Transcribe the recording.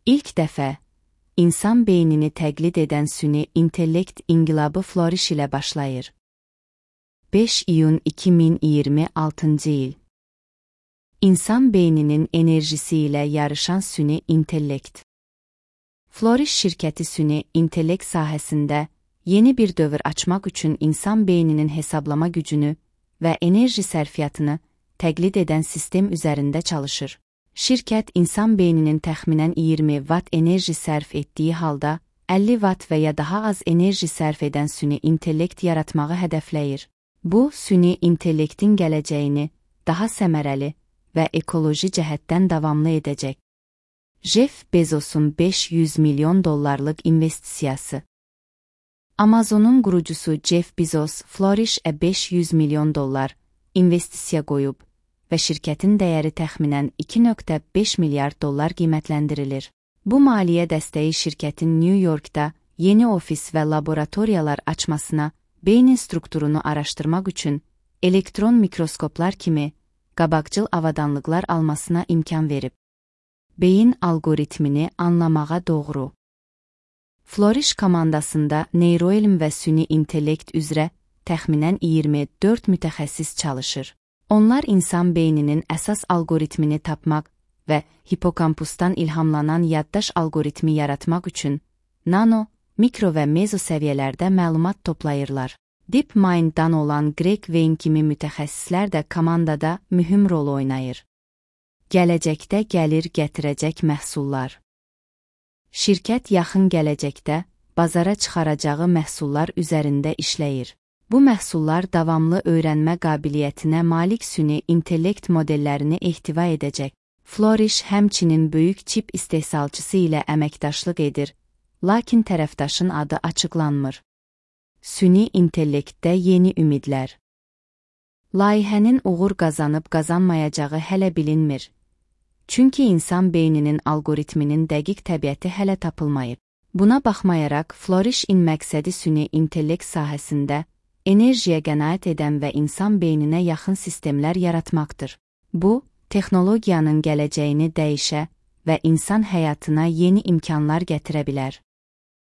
İlk dəfə, insan beynini təqlid edən süni intellekt inqilabı Flourish ilə başlayır. 5 iyun 2026 il. İnsan beyninin enerjisi ilə yarışan süni intellekt. Flourish şirkəti süni intellekt sahəsində yeni bir dövr açmaq üçün insan beyninin hesablama gücünü və enerji sərfiyyatını təqlid edən sistem üzərində çalışır. Şirkət insan beyninin təxminən 20 watt enerji sərf etdiyi halda 50 watt və ya daha az enerji sərf edən süni intellekt yaratmağı hədəfləyir. Bu, süni intellektin gələcəyini daha səmərəli və ekoloji cəhətdən davamlı edəcək. Jeff Bezosun $500 milyon investisiyası. Amazonun qurucusu Jeff Bezos Flourish'ə $500 milyon investisiya qoyub və şirkətin dəyəri təxminən $2.5 milyard qiymətləndirilir. Bu maliyyə dəstəyi şirkətin New Yorkda yeni ofis və laboratoriyalar açmasına, beynin strukturunu araşdırmaq üçün elektron mikroskoplar kimi qabaqcıl avadanlıqlar almasına imkan verib. Beyin algoritmini anlamağa doğru. Flourish komandasında neyroelm və süni intellekt üzrə təxminən 24 mütəxəssis çalışır. Onlar insan beyninin əsas algoritmini tapmaq və hipokampusdan ilhamlanan yaddaş algoritmi yaratmaq üçün nano, mikro və mezo səviyyələrdə məlumat toplayırlar. DeepMind-dan olan Greg Wayne kimi mütəxəssislər də komandada mühüm rol oynayır. Gələcəkdə gəlir gətirəcək məhsullar. Şirkət yaxın gələcəkdə bazara çıxaracağı məhsullar üzərində işləyir. Bu məhsullar davamlı öyrənmə qabiliyyətinə malik süni intellekt modellərini ehtiva edəcək. Flourish həmçinin böyük çip istehsalçısı ilə əməkdaşlıq edir, lakin tərəfdaşın adı açıqlanmır. Süni intellektdə yeni ümidlər. Layihənin uğur qazanıb qazanmayacağı hələ bilinmir. Çünki insan beyninin algoritminin dəqiq təbiəti hələ tapılmayıb. Buna baxmayaraq, Flourish-in məqsədi süni intellekt sahəsində enerjiyə qənaət edən və insan beyninə yaxın sistemlər yaratmaqdır. Bu, texnologiyanın gələcəyini dəyişə və insan həyatına yeni imkanlar gətirə bilər.